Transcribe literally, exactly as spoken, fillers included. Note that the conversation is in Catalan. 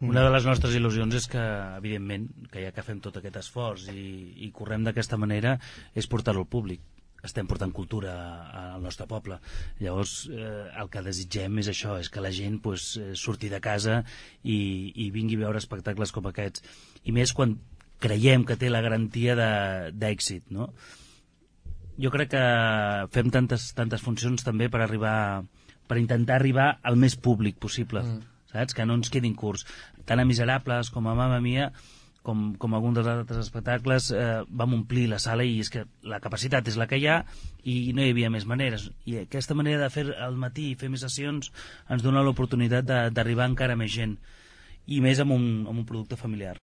Una de les nostres il·lusions és que, evidentment, que ja que fem tot aquest esforç i, i correm d'aquesta manera, és portar-ho al públic. Estem portant cultura al nostre poble. Llavors, eh, el que desitgem és això, és que la gent pues, surti de casa i, i vingui a veure espectacles com aquests. I més quan creiem que té la garantia d'èxit, no? Jo crec que fem tantes, tantes funcions també per arribar, per intentar arribar al més públic possible. Mm. Saps? Que no ens quedin curts. Tant a Miserables com a Mamma Mia, com, com algun dels altres espectacles, eh, vam omplir la sala i és que la capacitat és la que hi ha i no hi havia més maneres. I aquesta manera de fer al matí i fer més sessions ens dona l'oportunitat d'arribar encara més gent i més amb un, amb un producte familiar.